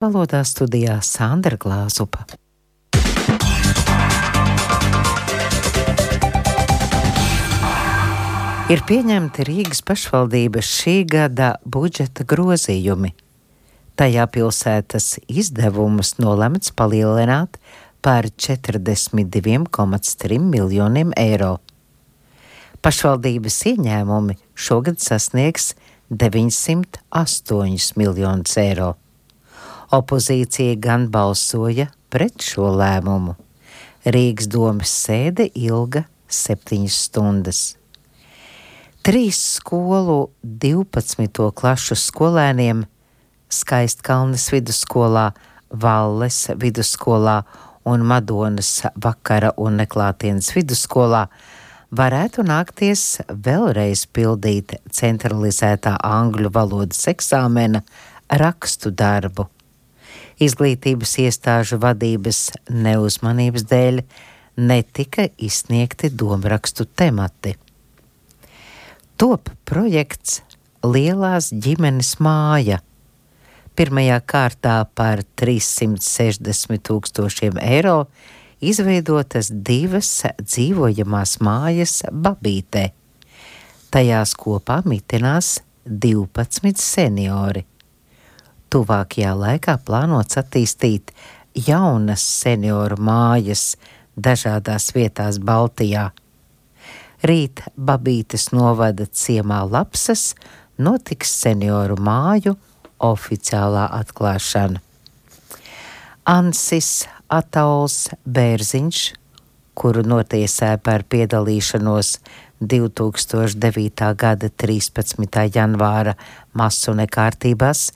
Valodā studijā Sandra Glāzupa. Ir pieņemti Rīgas pašvaldības šī gada budžeta grozījumi. Tajā pilsētas izdevumus nolemts palielināt par 42,3 miljoniem eiro. Pašvaldības ieņēmumi šogad sasniegs 908 miljonus eiro. Opozīcija gan balsoja pret šo lēmumu. Rīgas domes sēde ilga 7 stundas. 3 skolu 12. klašu skolēniem Skaistkalnes vidusskolā, Valles vidusskolā un Madonas vakara un neklātienes vidusskolā varētu nākties vēlreiz pildīt centralizētā angļu valodas eksāmena rakstu darbu. Izglītības iestāžu vadības neuzmanības dēļ netika izsniegti domrakstu temati. Top projekts Lielās ģimenes māja. Pirmajā kārtā par 360 000 eiro izveidotas 2 dzīvojamās mājas Babītē. Tajās kopā mitinās 12 seniori. Tuvākajā laikā plānots attīstīt jaunas senioru mājas dažādās vietās Baltijā. Rīt Babītes novada ciemā Lapsas notiks senioru māju oficiālā atklāšana. Ansis Atauls Bērziņš, kuru notiesāja par piedalīšanos 2009. gada 13. janvāra masu nekārtībās,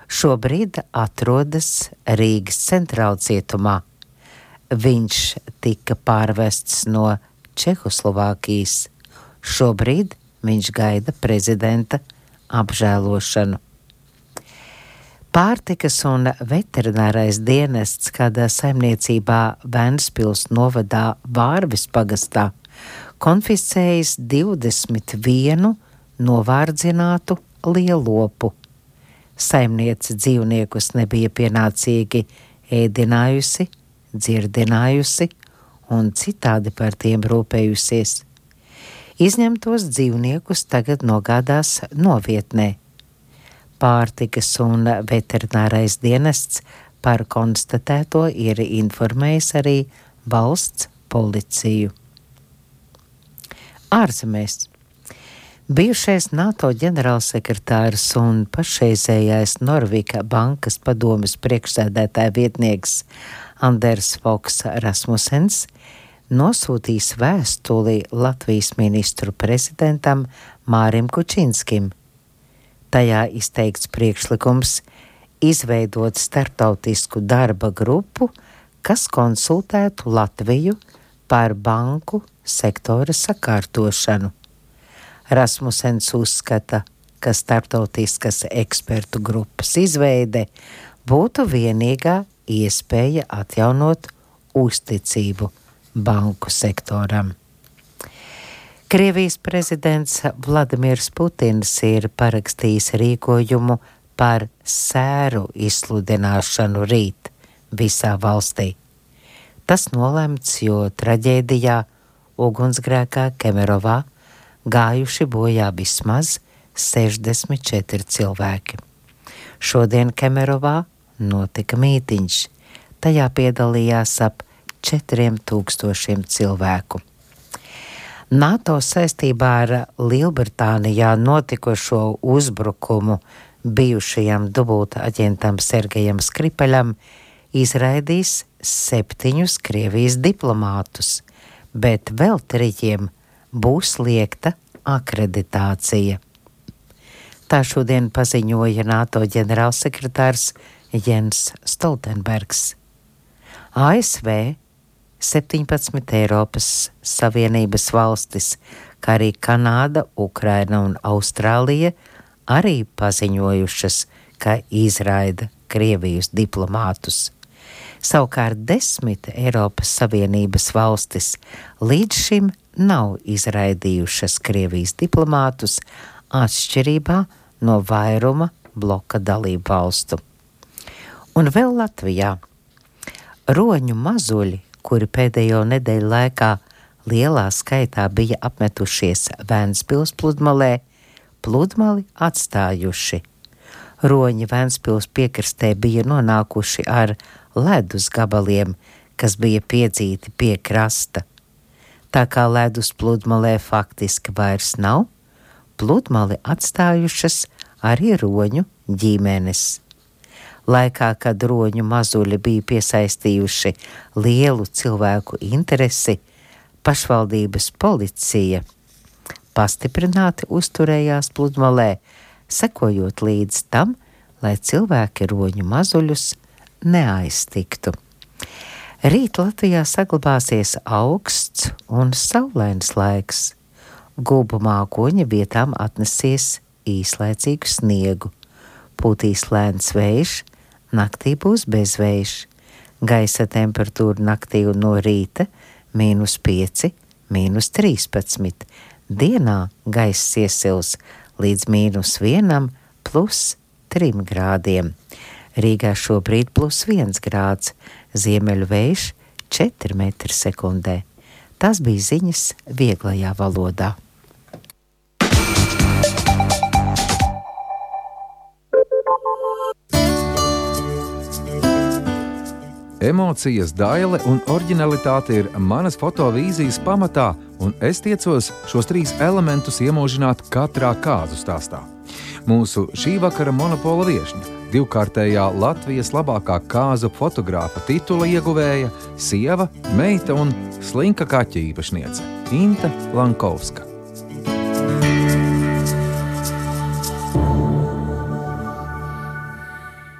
šobrīd atrodas Rīgas centrālcietumā. Viņš tika pārvests no Čehoslovākijas. Šobrīd viņš gaida prezidenta apžēlošanu. Pārtikas un veterinārais dienests kādā saimniecībā Ventspils novadā Vārvis pagastā konfiscējis 21 novārdzinātu lielopu. Saimniece dzīvniekus nebija pienācīgi ēdinājusi, dzirdinājusi un citādi par tiem rūpējusies. Izņemtos dzīvniekus tagad nogādās novietnē. Pārtikas un veterinārais dienests par konstatēto ir informējis arī valsts policiju. Ārzemēs. Bijušais NATO ģenerālsekretārs un pašreizējais Norvika bankas padomes priekšsēdētāja vietnieks Anders Fogh Rasmussens nosūtīs vēstuli Latvijas ministru prezidentam Mārim Kučinskim. Tajā izteikts priekšlikums izveidot starptautisku darba grupu, kas konsultētu Latviju par banku sektora sakārtošanu. Rasmussens uzskata, ka starptautiskas ekspertu grupas izveide būtu vienīgā iespēja atjaunot uzticību banku sektoram. Krievijas prezidents Vladimirs Putins ir parakstījis rīkojumu par sēru izsludināšanu rīt visā valstī. Tas nolemts, jo traģēdijā ugunsgrēkā Kemerovā gājuši bojā vismaz 64 cilvēki. Šodien Kemerovā notika mītiņš. Tajā piedalījās ap 4000 cilvēku. NATO saistībā ar Lielbritānijā notikušo uzbrukumu bijušajam dubulta aģentam Sergejam Skripaļam izraidīs 7 Krievijas diplomātus, bet vēl 3 būs liekta akreditācija. Tā šodien paziņoja NATO ģenerālsekretārs Jens Stoltenbergs. ASV, 17 Eiropas Savienības valstis, kā arī Kanāda, Ukraina un Austrālija arī paziņojušas, ka izraida Krievijas diplomātus. Savukārt 10 Eiropas Savienības valstis līdz šim nav izraidījušas Krievijas diplomātus atšķirībā no vairuma bloka dalību valstu. Un vēl Latvijā roņu mazuļi, kuri pēdējo nedēļu laikā lielā skaitā bija apmetušies Ventspils pludmalē, pludmali atstājuši. Roņi Ventspils piekrastē bija nonākuši ar ledus gabaliem, kas bija piedzīti pie krasta. Tā kā ledus pludmalē faktiski vairs nav, pludmali atstājušas arī roņu ģimenes. Laikā, kad roņu mazuļi bija piesaistījuši lielu cilvēku interesi, pašvaldības policija pastiprināti uzturējās pludmalē, sekojot līdz tam, lai cilvēki roņu mazuļus neaiztiktu. Rīt Latvijā saglabāsies augsts un saulains laiks. Gulbu mākoņi vietām atnesīs īslaicīgu sniegu. Pūtīs lēns vējš, naktī būs bezvējš. Gaisa temperatūra naktī un no rīta -5, -13. Dienā gaiss iesils līdz -1, +3 grādiem. Rīgā šobrīd +1 grāds, ziemeļu vējš 4 metri sekundē. Tas bija ziņas vieglajā valodā. Emocijas, daile un oriģinalitāte ir manas fotovīzijas pamatā, un es tiecos šos 3 elementus iemūžināt katrā kāzu stāstā. Mūsu šī vakara monopola viešņa, 2-kārtējā Latvijas labākā kāzu fotogrāfa titula ieguvēja, sieva, meita un slinka kaķa īpašniece Inte Lankovska.